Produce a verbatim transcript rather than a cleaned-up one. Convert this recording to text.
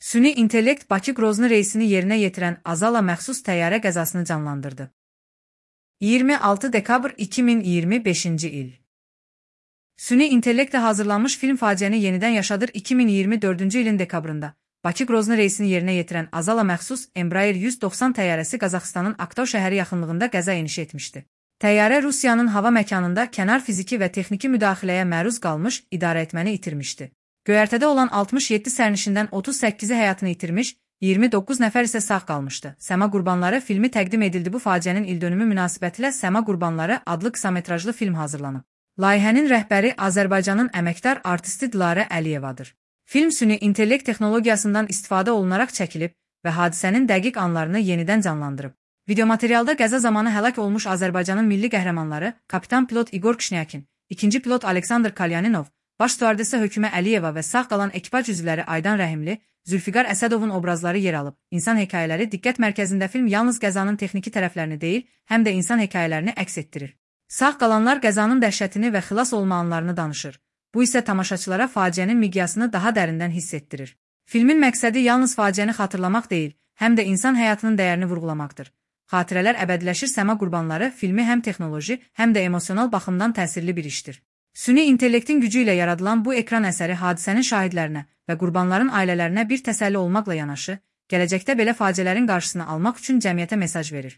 Süni intellekt Bakı-Qrozny reysini yerinə yetirən Azala məxsus təyyarə qəzasını canlandırdı. iyirmi altı dekabr iki min iyirmi beşinci il. Süni intellektlə hazırlanmış film faciəni yenidən yaşadır. iki min iyirmi dördüncü ilin dekabrında Bakı-Qrozny reysini yerinə yetirən Azala məxsus Embraer yüz doxsan təyyarəsi Qazaxıstanın Aktau şəhəri yaxınlığında qəza enişi etmişdi. Təyyarə Rusiyanın hava məkanında kənar fiziki və texniki müdaxiləyə məruz qalmış, idarəetməni itirmişdi. Göyərtədə olan altmış yeddi sərnişindən otuz səkkizi həyatını itirmiş, iyirmi doqquz nəfər isə sağ qalmışdı. Səma Qurbanları filmi təqdim edildi. Bu faciənin ildönümü münasibətilə Səma Qurbanları adlı qısametrajlı film hazırlanıb. Layihənin rəhbəri Azərbaycanın əməkdar artisti Dilarə Əliyevadır. Film süni intellekt texnologiyasından istifadə olunaraq çəkilib və hadisənin dəqiq anlarını yenidən canlandırıb. Videomaterialda qəza zamanı həlak olmuş Azərbaycanın milli qəhrəmanları kapitan pilot İqor Kişnyakin, ikinci pilot Aleksandr Kalyaninov, baş stüardessa Hökümə Əliyeva və sağ qalan ekipaj üzvləri Aydan Rəhimli, Zülfiqar Əsədovun obrazları yer alıb. İnsan hekayələri diqqət mərkəzində film yalnız qəzanın texniki tərəflərini deyil, həm də insan hekayələrini əks etdirir. Sağ qalanlar qəzanın dəhşətini və xilas olma anlarını danışır. Bu isə tamaşaçılara faciənin miqyasını daha dərindən hiss etdirir. Filmin məqsədi yalnız faciəni xatırlamaq deyil, həm də insan həyatının dəyərini vurğulamaqdır. Xatirələr əbədiləşir. Səma Qurbanları filmi həm texnoloji, həm də emosional baxımdan təsirli bir işdir. Süni intellektin gücü ilə yaradılan bu ekran əsəri hadisənin şahidlərinə və qurbanların ailələrinə bir təsəlli olmaqla yanaşı, gələcəkdə belə faciələrin qarşısını almaq üçün cəmiyyətə mesaj verir.